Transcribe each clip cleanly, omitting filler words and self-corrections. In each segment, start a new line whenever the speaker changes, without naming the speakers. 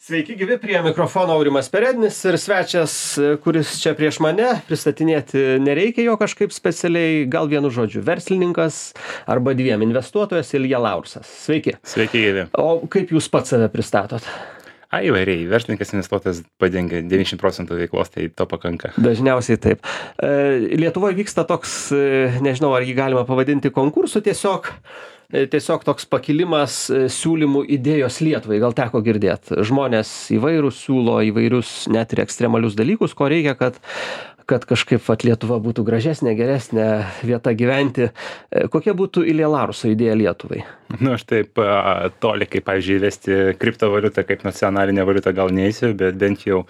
Sveiki gyvi, prie mikrofono Aurimas Perednis ir svečias, kuris čia prieš mane, pristatinėti nereikia jo kažkaip specialiai, gal vienu žodžiu, verslininkas arba dviem investuotojas Ilja Laursas. Sveiki.
Sveiki gyvi.
O kaip jūs pats save pristatot?
Įvairiai, verslininkas investuotojas padengia 90% veiklos, tai to pakanka.
Dažniausiai taip. Lietuvoje vyksta toks, nežinau, ar jį galima pavadinti konkursu, tiesiog toks pakilimas siūlymų idėjos Lietuvai, gal teko girdėti. Žmonės įvairūs siūlo įvairius net ir ekstremalius dalykus, ko reikia, kad kažkaip Lietuva būtų gražesnė, geresnė vieta gyventi. Kokia būtų Ilja Laurso idėja Lietuvai?
Aš taip toli, kaip, pavyzdžiui, įvesti kriptovaliutą kaip nacionalinę valiutą gal neįsiu, bet bent jau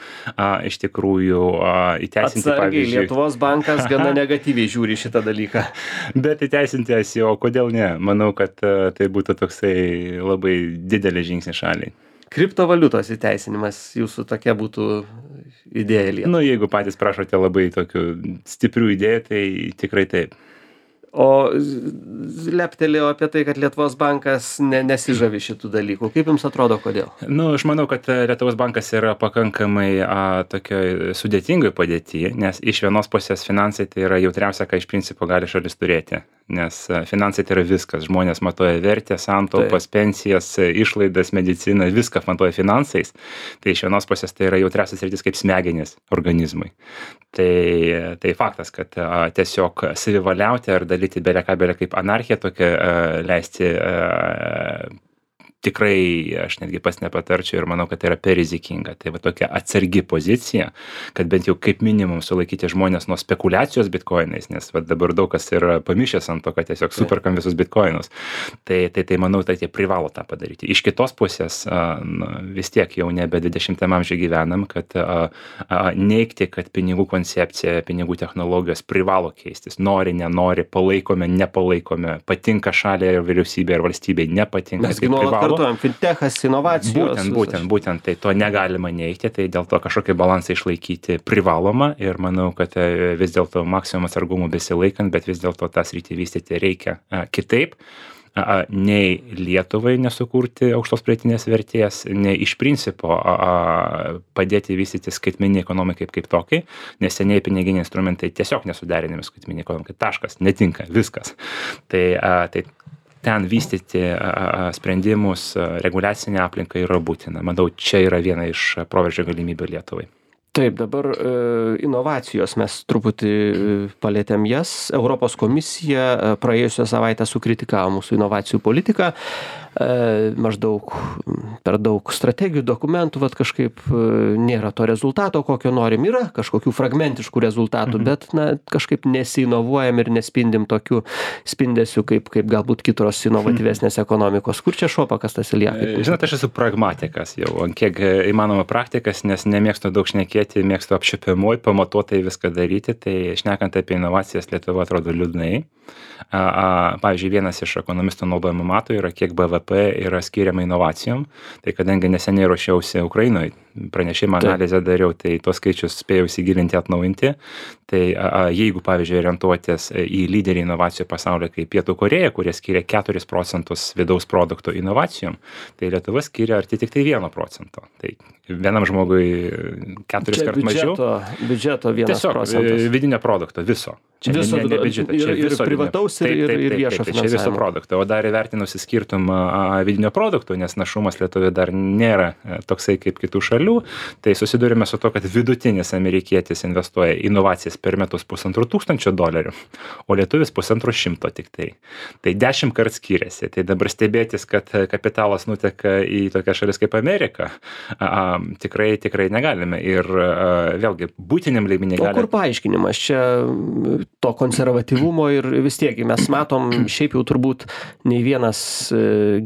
iš tikrųjų įteisinti,
atsargiai,
pavyzdžiui...
Lietuvos bankas gana negatyviai žiūri šitą dalyką.
Bet įteisinti SEO, kodėl ne? Manau, kad tai būtų toksai labai didelis žingsnis šaliai.
Kriptovaliutos įteisinimas jūsų tokia būtų idėja Lietuvai?
Jeigu patys prašote labai tokių stiprių idėjų, tai tikrai taip.
O leptelėjo apie tai, kad Lietuvos bankas nesižavi šitų dalykų. Kaip jums atrodo, kodėl?
Aš manau, kad Lietuvos bankas yra pakankamai tokioj sudėtingoj padėtyje, nes iš vienos pusės finansai tai yra jautriausia, ką iš principo gali šalis turėti. Nes finansai tai yra viskas. Žmonės matuoja vertę, santaupas, pensijas, išlaidas, mediciną, viską matuoja finansais. Tai iš vienos pusės tai yra jautriausias sritis kaip smegenys organizmui. Tai faktas, kad tiesiog savivaliauti ar dalyti beleką kaip anarchiją tokią leisti tikrai aš netgi pats nepatarčiau ir manau, kad tai yra per rizikinga. Tai va tokia atsargi pozicija, kad bent jau kaip minimum sulaikyti žmonės nuo spekulacijos bitkoinais, nes va dabar daug kas yra pamišęs ant to, kad tiesiog superkam visus bitkoinus. Tai manau, tai jie privalo tą padaryti. Iš kitos pusės vis tiek jau nebe 20-am amžiuje gyvenam, kad neigti, kad pinigų koncepcija, pinigų technologijos privalo keistis. Nori, nenori, palaikome, nepalaikome, patinka šaliai ir vyriausybė ir valstybė, nepatinka.
Fintechas, inovacijos.
Būtent, tai to negalima neigti, tai dėl to kažkokį balansą išlaikyti privaloma ir manau, kad vis dėlto maksimum atsargumų besilaikant, bet vis dėlto tą sritį vystyti reikia kitaip, nei Lietuvai nesukurti aukštos pridėtinės vertės, nei iš principo padėti vystyti skaitmeninį ekonomikai kaip tokiai, nes seniai piniginiai instrumentai tiesiog nesuderinami skaitmeninį ekonomikai, taškas, netinka, viskas. Tai ten vystyti sprendimus, reguliacinę aplinką yra būtina. Manau, čia yra viena iš proveržio galimybių Lietuvai.
Taip, dabar inovacijos mes truputį palėtėm jas. Europos komisija praėjusią savaitę sukritikavo mūsų inovacijų politiką. Maždaug per daug strategijų, dokumentų, kažkaip nėra to rezultato, kokio norim. Yra kažkokių fragmentiškų rezultatų, bet kažkaip nesiinovuojam ir nespindim tokių spindesių, kaip galbūt kitos inovatyvesnės ekonomikos. Kur čia šuo pakastas, Ilja?
Žinote, aš esu pragmatikas jau, kiek įmanoma praktikas, nes nemėgstu daug šnekėti, mėgstu apčiuopiamoj, pamatuotai viską daryti, tai šnekant apie inovacijas Lietuva atrodo liūdnai. Pavyzdžiui, vienas iš ekonomistų naudojamų matų yra, kiek BVP yra skiriama inovacijom. Tai kadangi neseniai ruošiausi Ukrainoje, pranešimą analizę dariau, tai tuos skaičius spėjau įsigilinti, atnaujinti. Tai jeigu, pavyzdžiui, orientuotis į lyderį inovacijų pasaulyje kaip Pietų Korėja, kurie skiria 4% vidaus produkto inovacijom, tai Lietuva skiria arti tik tai 1%. Tai vienam žmogui 4 kart mažiau.
Biudžeto 1%.
Tiesiog vidinio produkto viso. Čia
viso
biudžeto.
Ir privataus ir viešo finansavimo.
Čia viso produkto. O dar įvertinusi skirtumą vidinio produkto, nes našumas Lietuvoje dar nėra toksai kaip kitų šalių, tai susidurime su to, kad vidutinis amerikietis investuoja inovacijas per metus $1,500, o lietuvis $100 tik tai. Tai 10 kart skiriasi. Tai dabar stebėtis, kad kapitalas nuteka į tokias šalis kaip Amerika, tikrai negalime. Ir vėlgi, būtiniam lygmenį galime.
O kur paaiškinimas? Čia to konservatyvumo ir vis tiek mes matom, šiaip jau turbūt nei vienas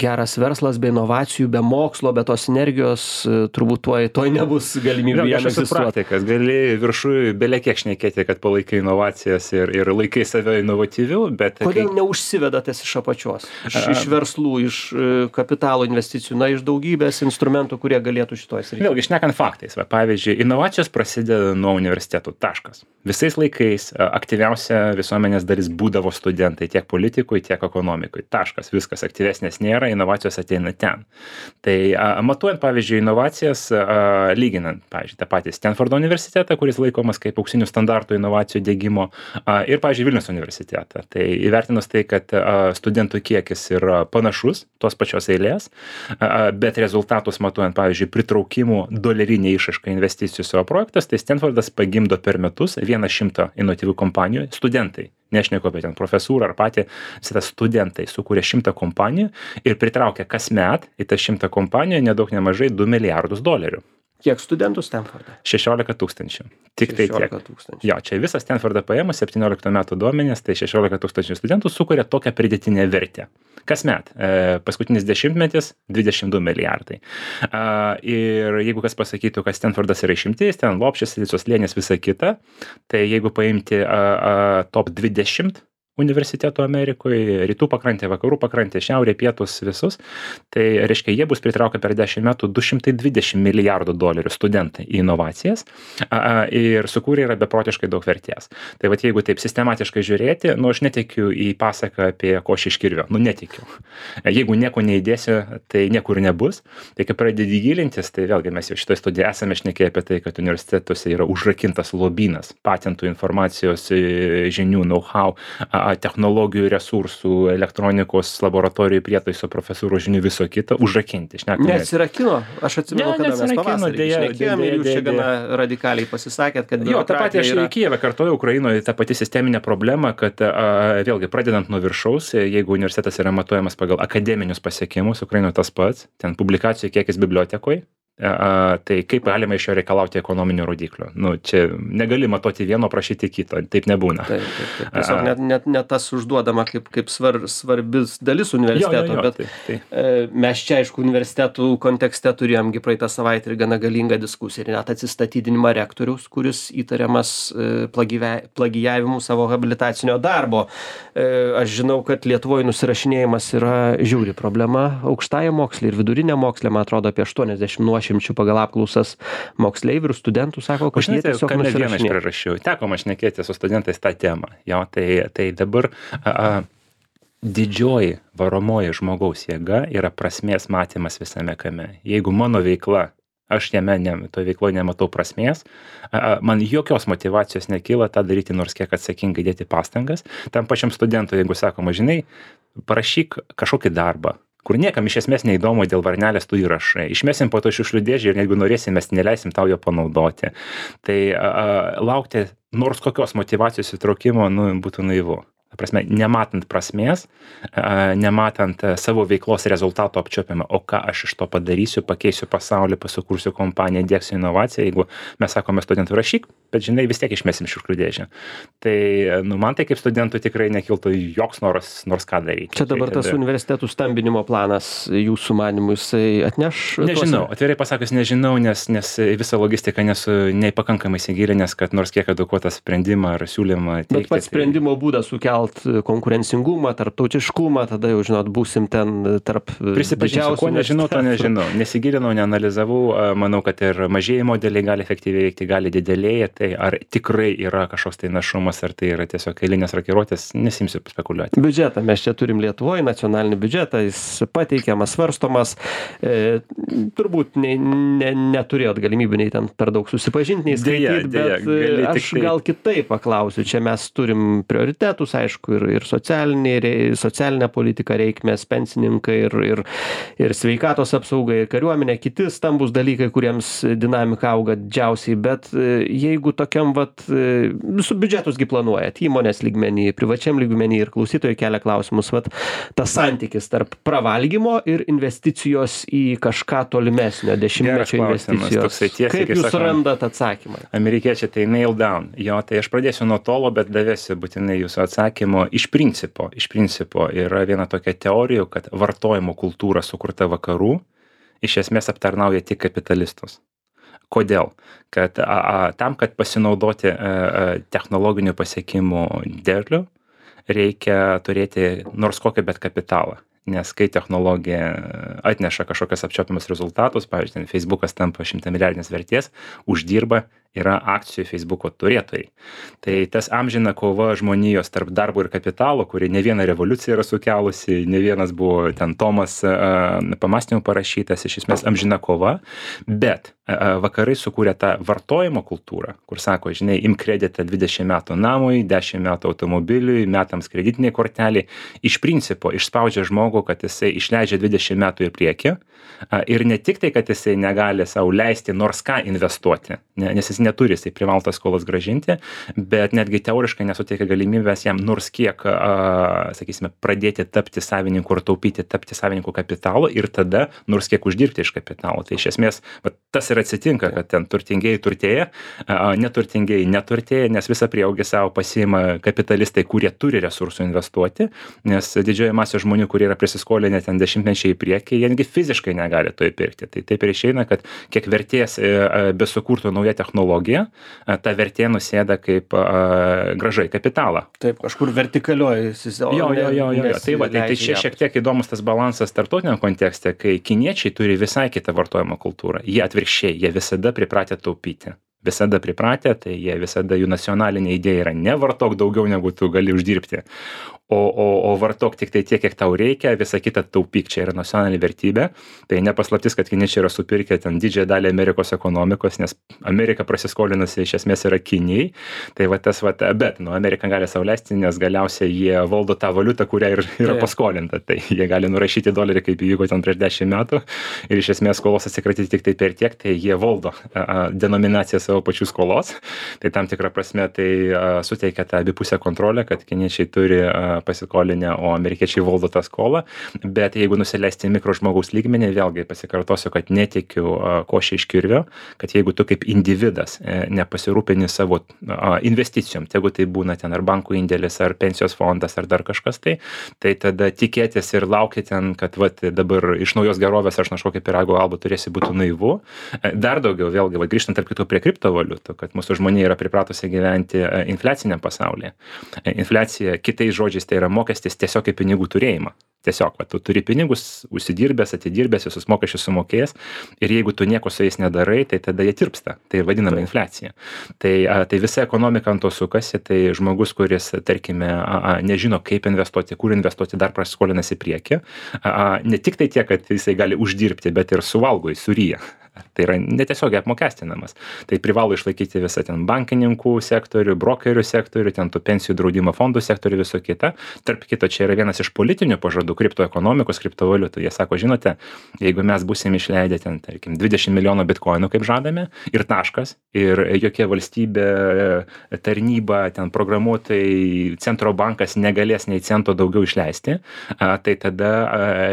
geras verslas be inovacijų, be mokslo, be tos energijos turbūt tuoj toj nebus galimybių jam
Aš esu
egzistuoti.
praktikas, gali viršui belekiek šnekėti, kad palaikai inovacijas ir laikai save inovatyviu, bet...
Kodėl neužsivedatės iš apačios? Iš verslų, iš kapitalo investicijų, iš daugybės instrumentų, kurie galėtų šitoj srityje?
Vėlgi, šnekant faktais, pavyzdžiui, inovacijos prasideda nuo universitetų, taškas. Visais laikais aktyviausia visuomenės dalis būdavo studentai, tiek politikui, tiek ekonomikui. Taškas, viskas, aktyvesnės nėra, inovacijos ateina ten. Tai matuojant, pavyzdžiui, inovacijas, lyginant, pavyzdžiui, tą patį Stanfordo universitetą, kuris laikomas kaip auksinių standartų inovacijų diegimo, ir, pavyzdžiui, Vilniaus universitetą. Tai įvertinus tai, kad studentų kiekis yra panašus, tos pačios eilės, bet rezultatus matuojant, pavyzdžiui, pritraukimų dolerinė išraiška investicijų savo projektas, tai Stanfordas pagimdo per metus 100 inovatyvių kompanijų studentai. Nešneku apie ten profesūrą ar patį, studentai sukūrė 100 kompanijų ir pritraukė kasmet į tas 100 kompanijų nedaug nemažai $2 milijardus.
Kiek studentų Stanforde?
16 000. Tik tai tiek.
000.
Jo, čia visas Stanfordą paėmus 17 metų duomenės, tai 16 000 studentų sukuria tokią pridėtinę vertę. Kasmet, paskutinis dešimtmetis 22 milijardai. Ir jeigu kas pasakytų, kad Stanfordas yra išimtis, ten Lopšis, Silicijos slėnis, visa kita, tai jeigu paimti top 20 universitetų Amerikoje, rytų pakrantė, vakarų pakrantė, šiaurė, pietus, visus, tai reiškia, jie bus pritraukę per 10 metų $220 milijardų studentai į inovacijas ir sukūrė yra beprotiškai daug vertės. Tai vat jeigu taip sistematiškai žiūrėti, aš netikiu į pasaką apie košį iš kirvio, netikiu. Jeigu nieko neįdėsiu, tai niekur nebus. Tai kai pradedi gilintis, tai vėlgi mes jau šitoje studijoje esame šnekėję apie tai, kad universitetuose yra užrakintas lobynas patentų, informacijos, žinių, know-how, technologijų, resursų, elektronikos, laboratorijų prietaiso, profesūrų žinių, viso kito, užrakinti.
Neatsirakino. Aš atsimenu, kada mes pavasarį šnekėjome ir jūs čia gana radikaliai pasisakėt, kad
jo, tą patį aš į Kijevą kartuoju, Ukrainoje ta pati sisteminė problema, kad vėlgi pradedant nuo viršaus, jeigu universitetas yra matuojamas pagal akademinius pasiekimus, Ukrainoje tas pats, ten publikacijų kiekis bibliotekoje, tai kaip galima iš jo reikalauti ekonominių rodiklių. Čia negali matuoti vieno, prašyti kito, taip nebūna.
Taip. Tiesiog net tas užduodama kaip svarbis dalis universiteto, bet mes čia, aišku, universitetų kontekste turėjomgi praeitą savaitę ir gana galingą diskusiją ir net atsistatydinimą rektoriaus, kuris įtariamas plagijavimu savo habilitacinio darbo. Aš žinau, kad Lietuvoje nusirašinėjimas yra žiauri problema aukštajam moksle ir viduriniam moksle, man atrodo, apie 80 nuošimčių pagal apklausas moksleivių ir studentų sako, kad jie tiesiog
nusirašinėja. Teko man šnekėti su studentais tą temą. Jo, tai dabar didžioji varomoji žmogaus jėga yra prasmės matymas visame kame. Jeigu mano veikla, aš toje veikloje nematau prasmės, man jokios motyvacijos nekyla tą daryti, nors kiek atsakingai dėti pastangas. Tam pačiam studentui, jeigu sakoma, žinai, parašyk kažkokį darbą, kur niekam iš esmės neįdomu dėl varnelės tu įrašai. Išmesim po to šiukšlių dėžę ir jeigu norėsim, mes neleisim tau jo panaudoti. Tai laukti nors kokios motyvacijos įtraukimo būtų naivu. Prasme, nematant prasmės, nematant savo veiklos rezultato apčiuopiamą, o ką aš iš to padarysiu, pakeisiu pasaulį, pasukursiu kompaniją, diegsiu inovaciją, jeigu mes sakome studentų rašyk, bet žinai, vis tiek išmesim šiukšlių dėžę. Tai man tai kaip studentui tikrai nekiltų joks noras nors ką daryti.
Čia dabar tas universitetų stambinimo planas jūsų manymu jisai atneš?
Nežinau, atvirai pasakius nežinau, nes visą logistiką nesu nepakankamai įsigilinęs, kad nors kiek edukuotą sprendimą ar siūlymą teikti.
Bet pats sprendimo būdas sukelt konkurencingumą, tarptautiškumą, tada jau, žinot, būsim ten tarp
prisipažinsiu, ko nežinau, to nežinau. Nesigilinau, neanalizavau, manau, kad ir mažieji modeliai gali efektyviai veikti, gali didelėje, tai ar tikrai yra kažkoks tai našumas, ar tai yra tiesiog eilinės rakiruotės, nesimsiu spekuliuoti.
Biudžetą mes čia turim Lietuvoje, nacionalinį biudžetą, jis pateikiamas, svarstomas, turbūt neturėjot galimybių nei ten per daug susipažinti, nei skaityti, bet aš gal kitaip paklausiu, čia mes turim prioritetus, aišku, ir socialinę politiką reikmės, pensininkai ir sveikatos apsauga, ir kariuomenė, kiti stambus dalykai, kuriems dinamika auga didžiausiai, bet jeigu tokiam su biudžetusgi planuojat, įmonės lygmenį, privačiam lygmenį ir klausytojai kelia klausimus, tas santykis tarp pravalgymo ir investicijos į kažką tolimesnio, dešimtmečio investicijos. Kaip jūs randat atsakymą?
Amerikiečiai tai nail down. Jo, tai aš pradėsiu nuo tolo, bet davėsiu būtinai jūsų atsakymą. Iš principo yra viena tokia teorija, kad vartojimo kultūra sukurta vakarų iš esmės aptarnauja tik kapitalistus. Kodėl? Kad tam, kad pasinaudoti technologinių pasiekimų derlių, reikia turėti nors kokį bet kapitalą. Nes kai technologija atneša kažkokias apčiuopiamus rezultatus, pavyzdžiui, Facebookas tampa 100 milijardinės vertės, uždirba yra akcijų Facebooko turėtojai. Tai tas amžina kova žmonijos tarp darbo ir kapitalo, kuri ne vieną revoliuciją yra sukelusi, ne vienas buvo ten Tomas pamąstymų parašytas, iš esmės amžina kova, bet vakarai sukūrė tą vartojimo kultūrą, kur sako, žinai, imk kreditą 20 metų namui, 10 metų automobiliui, metams kreditiniai korteliai, iš principo išspaudžia žmogų, kad jisai išleidžia 20 metų į priekį ir ne tik tai, kad jisai negali sau leisti nors ką investuoti, nes jis neturi, jisai privalo tas skolas grąžinti, bet netgi teoriškai nesuteikia galimybės jam nors kiek, sakysime, pradėti tapti savininku ar taupyti, tapti savininku kapitalo ir tada nors kiek uždirbti iš kapitalo. Tai iš esmės, tas ir atsitinka, kad ten turtingieji turtėja, neturtingieji neturtėja, nes visą prieaugį savo pasiima kapitalistai, kurie turi resursų investuoti, nes didžioji masė žmonių, kurie yra prisiskolinę ten dešimtmečiai į priekį, jie netgi fiziškai negali to įpirkti. Tai taip ir išeina, kad kiek vertės besukurtų nauja technologija, ta vertė nusėda kaip grąža į kapitalą.
Taip, kažkur vertikalioji.
Tai čia šiek tiek įdomus tas balansas tarptautiniam kontekste, kai kiniečiai turi visai kitą vartojimo kultūrą. Jie atvirkščiai, jie visada pripratę taupyti. Visada pripratę, tai jie visada jų nacionalinė idėja yra nevartok daugiau negu tu gali uždirbti. O vartok tik tai tiek, kiek tau reikia, visą kitą taupyk, čia yra nacionalinė vertybė. Tai nepaslaptis, kad kiniečiai yra supirkę ten didžiąją dalį Amerikos ekonomikos, nes Amerika prasiskolinusi iš esmės yra Kinijai. Tai bet Amerika gali sau leisti, nes galiausiai jie valdo tą valiutą, kurią yra paskolinta. Tai jie gali nurašyti dolerį, kaip įvyko ten prieš 10 metų ir iš esmės skolos atsikratyti tik tai per tiek, tai jie valdo denominaciją savo pačių skolos. Tai tam tikrą prasme tai suteikia tą abipusę kontrolę, kad kiniečiai turi pasikolinę, o amerikiečiai valdo tą skolą, bet jeigu nusileisti mikro žmogaus lygmenį, vėlgi pasikartosiu, kad netikiu košė iš kirvio, kad jeigu tu kaip individas nepasirūpini savo investicijom, jeigu tai būna ten ar bankų indėlis, ar pensijos fondas, ar dar kažkas tai tada tikėtis ir laukti ten, kad dabar iš naujos gerovės aš kažkokį pyrago albą turėsi būtų naivu. Dar daugiau, vėlgi, grįžtant tarp kitų prie kriptovaliutų, kad mūsų žmonija yra pripratusi gyventi infliaciniam pasaulyje. Infliacija, kitais žodžiais, tai yra mokestis tiesiog į pinigų turėjimą. Tiesiog, tu turi pinigus, užsidirbęs, atidirbęs, visus mokesčius sumokėjęs ir jeigu tu nieko su jais nedarai, tai tada jie tirpsta. Tai vadinama infliacija. Tai visa ekonomika ant to sukasi, tai žmogus, kuris, tarkime, nežino, kaip investuoti, kur investuoti, dar prasiskolinasi į priekį. Ne tik tai tiek, kad jisai gali uždirbti, bet ir suvalgo, jis suryja. Tai yra netiesiogiai apmokestinamas. Tai privalo išlaikyti visą ten bankininkų sektorių, brokerių sektorių, ten tų pensijų draudimo fondų sektorių, viso kita. Tarp kito, čia yra vienas iš politinių pažadų kriptoekonomikos, kriptovaliutų. Jie sako, žinote, jeigu mes būsim išleidę ten, tarkim, 20 milijonų bitkoinų, kaip žadame, ir taškas, ir jokia valstybė, tarnyba, ten programuotojai, centro bankas negalės nei cento daugiau išleisti, tai tada,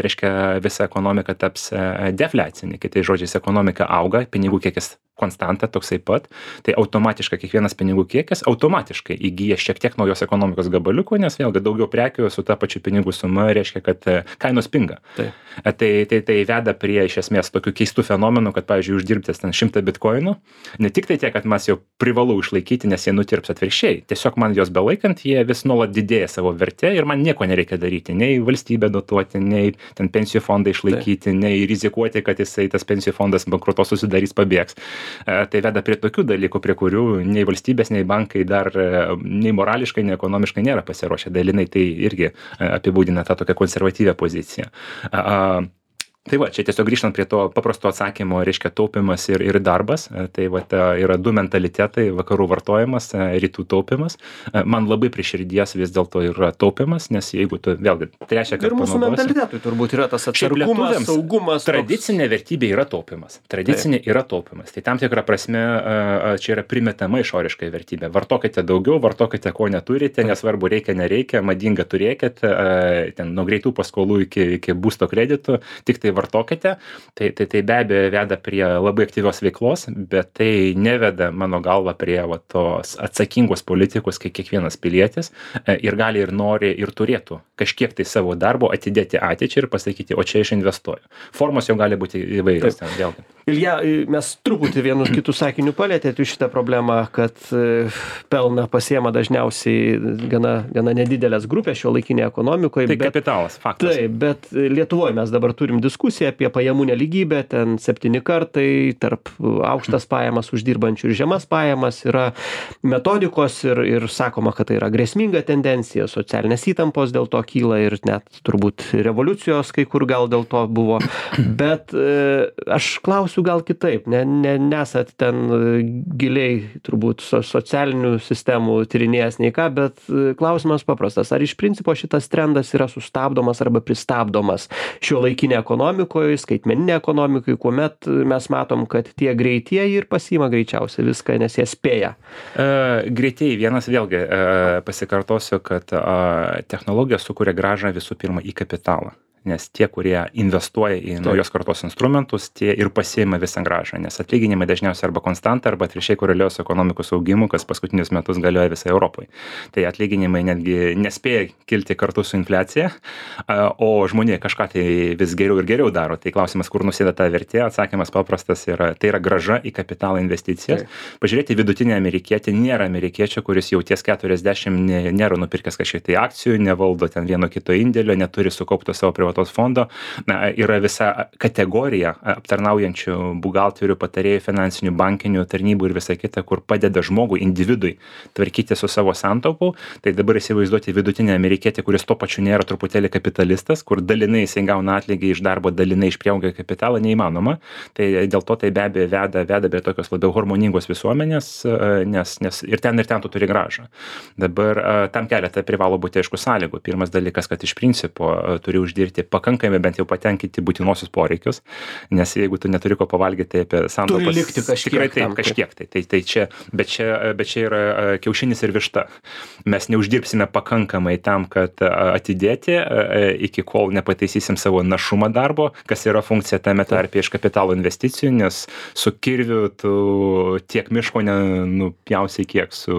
reiškia, visa ekonomika taps defliacinė. Kitais žodžiais, ekonomika auga, pinigų kiekis konstanta toksai pat, tai automatiškai kiekvienas pinigų kiekis automatiškai įgyja šiek tiek naujos ekonomikos gabaliukų, nes vėlgi daugiau prekių su ta pačiu pinigų suma reiškia, kad kainos pinga. Tai veda prie iš esmės tokių keistų fenomenų, kad, pavyzdžiui, uždirbtis ten 100 bitkoinų, ne tik tai tiek, kad mes jau privalau išlaikyti, nes jie nutirps atvirkščiai, tiesiog man jos belaikant, jie vis nuolat didėja savo vertė ir man nieko nereikia daryti, nei valstybę dotuoti, nei ten pensijų fondą išlaikyti, nei rizikuoti, kad jisai tas pensijų fondas bankrutos susidarys, pabėgs. Tai veda prie tokių dalykų, prie kurių nei valstybės, nei bankai dar nei morališkai, nei ekonomiškai nėra pasiruošę. Dalinai tai irgi apibūdina tą tokią konservatyvią poziciją. Tai čia tiesiog grįžtant prie to paprasto atsakymo, reiškia taupimas ir darbas. Tai yra du mentalitetai, vakarų vartojimas, rytų taupimas. Man labai prie širdies vis dėlto yra taupimas, nes jeigu tu vėlgi trečią kartą
ir mūsų mentalitetui turbūt yra tas atsargumas, saugumas.
Tradicinė vertybė yra taupimas. Tradicinė yra taupimas. Tai tam tikrą prasme čia yra primetama išoriškai vertybė. Vartokite daugiau, vartokite ko neturite, nesvarbu reikia, nereikia, madinga turėkit, ten nuo greitų paskolų iki būsto kreditų, tik tai tai vartokite, tai be abejo veda prie labai aktyvios veiklos, bet tai neveda mano galva prie tos atsakingos politikos, kai kiekvienas pilietis ir gali ir nori ir turėtų kažkiek tai savo darbo atidėti ateičiai ir pasakyti, o čia aš investuoju. Formos jau gali būti įvairios.
Ilja, mes truputį vienu kitų sakinių palėtėt šitą problemą, kad pelną pasiema dažniausiai gana nedidelės grupės šiuolaikinėje ekonomikoje.
Tai kapitalas, faktas.
Taip, bet Lietuvoje mes dabar turim diskusiją apie pajamų nelygybę, ten 7 kartai tarp aukštas pajamas uždirbančių ir žemas pajamas yra metodikos ir sakoma, kad tai yra grėsminga tendencija, socialinės įtampos dėl to kyla ir net turbūt revoliucijos kai kur gal dėl to buvo. Bet aš klausiu gal kitaip, nesat ten giliai turbūt socialinių sistemų tyrinėjęs nei ką, bet klausimas paprastas. Ar iš principo šitas trendas yra sustabdomas arba pristabdomas šiuolaikinėje ekonomikoje, skaitmeninėje ekonomikoje, kuomet mes matom, kad tie greitieji ir pasiima greičiausiai viską, nes jie spėja?
Greitieji vienas vėlgi pasikartosiu, kad technologija sukuria grąžą visų pirma į kapitalą. Nes tie, kurie investuoja į naujos kartos instrumentus, tie ir pasiima visą grąžą, nes atlyginimai dažniausiai arba konstanta, arba atvirkščiai koreliuoja su ekonomikos augimu, kas paskutinius metus galioja visai Europai. Tai atlyginimai netgi nespėja kilti kartu su infliacija, o žmonė kažką tai vis geriau ir geriau daro. Tai klausimas, kur nusėda ta vertė, atsakymas paprastas yra, tai yra grąža į kapitalą investicijas. Pažiūrėti vidutinį amerikietį, nėra amerikiečio, kuris jau ties 40 nėra nupirkęs kažkiek tai akcijų, nevaldo ten vieno kito indėlio, neturi sukaupto savo privataus fondo. Yra visa kategorija aptarnaujančių buhalterių, patarėjų, finansinių, bankinių tarnybų ir visa kita, kur padeda žmogui, individui tvarkyti su savo santaupų. Tai dabar įsivaizduoti vidutinį amerikietį, kuris to pačiu nėra truputėlį kapitalistas, kur dalinai jisai gauna atlygį iš darbo, dalinai išpriaugia kapitalą, neįmanoma. Tai dėl to tai be abejo veda prie tokios labiau harmoningos visuomenės, nes ir ten tu turi grąžą. Dabar tam keletą privalo būti aišku sąlygų. Pirmas dalykas, kad iš principo turi uždirbti pakankamai bent jau patenkinti būtinuosius poreikius, nes jeigu tu neturi ko pavalgyti, tai apie santaupas
turi likti
tikrai taip, kažkiek tai. Tai čia, bet čia yra kiaušinis ir višta. Mes neuždirbsime pakankamai tam, kad atidėti iki kol nepataisysim savo našumą darbo, kas yra funkcija tame tarpe iš kapitalo investicijų, nes su kirviu tu tiek miško nenupjausi kiek su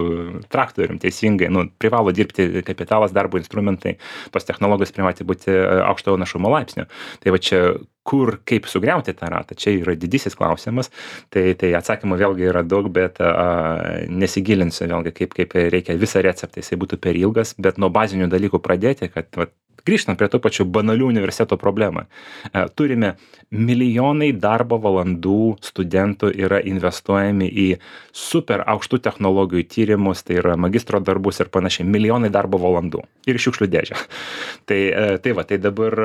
traktorium teisingai. Privalo dirbti kapitalas, darbo instrumentai, tos technologijos privati būti aukšto našumo laipsnio. Tai va čia kur, kaip sugriauti tą ratą, čia yra didysis klausimas. Tai atsakymų vėlgi yra daug, bet nesigilinsiu vėlgi, kaip reikia visą receptą, jisai būtų per ilgas, bet nuo bazinių dalykų pradėti, kad grįžtant prie tų pačių banalių universiteto problemą. Turime milijonai darbo valandų studentų yra investuojami į super aukštų technologijų tyrimus, tai yra magistro darbus ir panašiai, milijonai darbo valandų ir šiukšlių dėžę. Tai dabar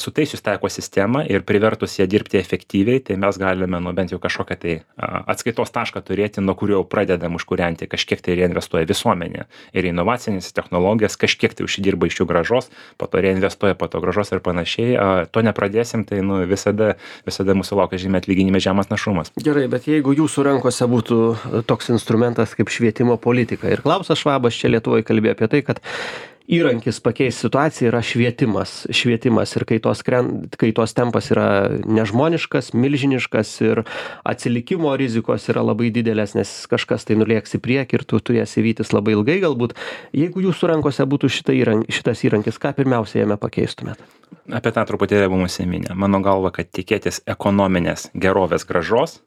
sutaisius tą ekosistemą ir privertus ją dirbti efektyviai, tai mes galime bent jau kažkokią tai atskaitos tašką turėti, nuo kurio pradedam užkurianti, kažkiek tai reinvestuoja visuomenė ir inovacinės technologijas, kažkiek tai užsidirba iš jų grąžos, po to reinvestuoja, po to grąžos ir panašiai. To nepradėsim, tai visada mūsų laukia žymiai atlyginimai žemas našumas.
Gerai, bet jeigu jūsų rankose būtų toks instrumentas kaip švietimo politika ir Klausas Švabas čia Lietuvoje kalbėjo apie tai, kad įrankis pakeisti situaciją yra švietimas ir kaitos tempas yra nežmoniškas, milžiniškas ir atsilikimo rizikos yra labai didelės, nes kažkas tai nulėks į priekį ir tu turėsi vytis labai ilgai galbūt. Jeigu jūsų rankose būtų šitas įrankis, ką pirmiausia jame pakeistumėt?
Apie tą truputėlį buvo užsiminę. Mano galva, kad tikėtis ekonominės gerovės grąžos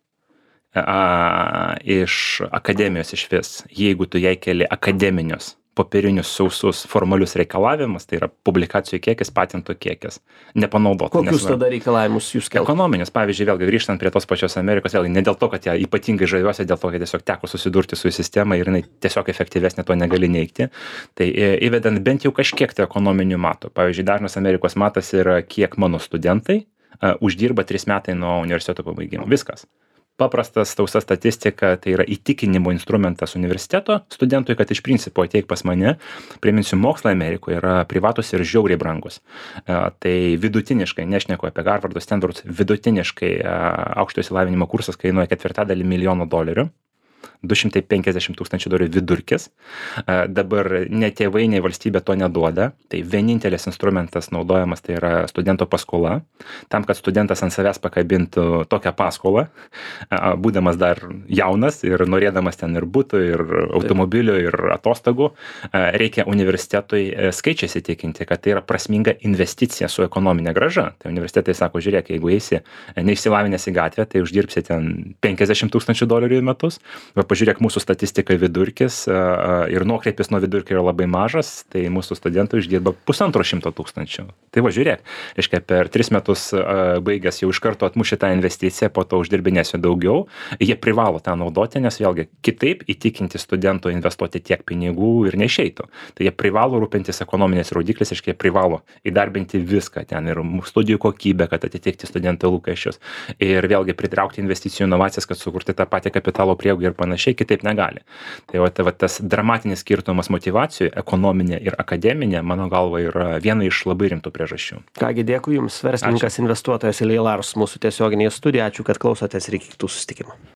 iš akademijos išvis, jeigu tu jai keli akademinius popierinius sausus formalius reikalavimus, tai yra publikacijų kiekis, patentų kiekis, nepanaudota.
Kokius tada reikalavimus jūs keltumėte?
Ekonominius, pavyzdžiui, vėlgi grįžtant prie tos pačios Amerikos, vėlgi ne dėl to, kad ją ypatingai žaviuosi, dėl to, kad tiesiog teko susidurti su sistema ir jinai tiesiog efektyvesnė, to negali neigti. Tai įvedant bent jau kažkiek tai ekonominių matų. Pavyzdžiui, dažnas Amerikos matas yra, kiek mano studentai uždirba 3 metai nuo universiteto pabaigimo. Viskas. Paprastas tausa statistika, tai yra įtikinimo instrumentas universiteto studentui, kad iš principo ateik pas mane. Priminsiu, mokslai Amerikoje yra privatus ir žiauriai brangus. Tai vidutiniškai, nešneku apie Harvardus, Stanfordus, vidutiniškai aukštojo išsilavinimo kursas kainuoja $250 milijono. 250 tūkstančių dolerių vidurkis. Dabar ne tėvai, nei valstybė to neduoda. Tai vienintelis instrumentas naudojamas tai yra studento paskola. Tam, kad studentas ant savęs pakabintų tokią paskolą, būdamas dar jaunas ir norėdamas ten ir butų, ir automobilių, ir atostogų, reikia universitetui skaičiais įtikinti, kad tai yra prasminga investicija su ekonominė grąža. Tai universitetai sako, žiūrėk, jeigu eisi neišsilavinęs į gatvę, tai uždirbsi ten 50 tūkstančių dolerių į metus. Va, pažiūrėk, mūsų statistika vidurkis ir nuokreipis nuo vidurkio yra labai mažas, tai mūsų studentai uždirba 150 tūkstančių. Tai va, žiūrėk, reiškia, per 3 metus baigęs jau iš karto atmuši tą investiciją, po to uždirbinėsiu daugiau. Jie privalo tą naudoti, nes vėlgi kitaip įtikinti studentų investuoti tiek pinigų ir neišeitų. Tai jie privalo rūpintis ekonominės rodiklis, reiškia, jie privalo įdarbinti viską ten ir studijų kokybę, kad atitikti studentų lūkesčius. Ir vėlgi pritraukti investicijų inovacijas, kad sukurti tą patį kapitalo prieaugį ir panašiai, kitaip negali. Tai va tas dramatinis skirtumas motyvacijų, ekonominė ir akademinė, mano galva, yra viena iš labai rimtų priežasčių.
Kągi, dėkui Jums, verslininkas, investuotojas Ilja Larsas, mūsų tiesioginėje studijoje. Ačiū, kad klausotės ir iki kitų susitikimų.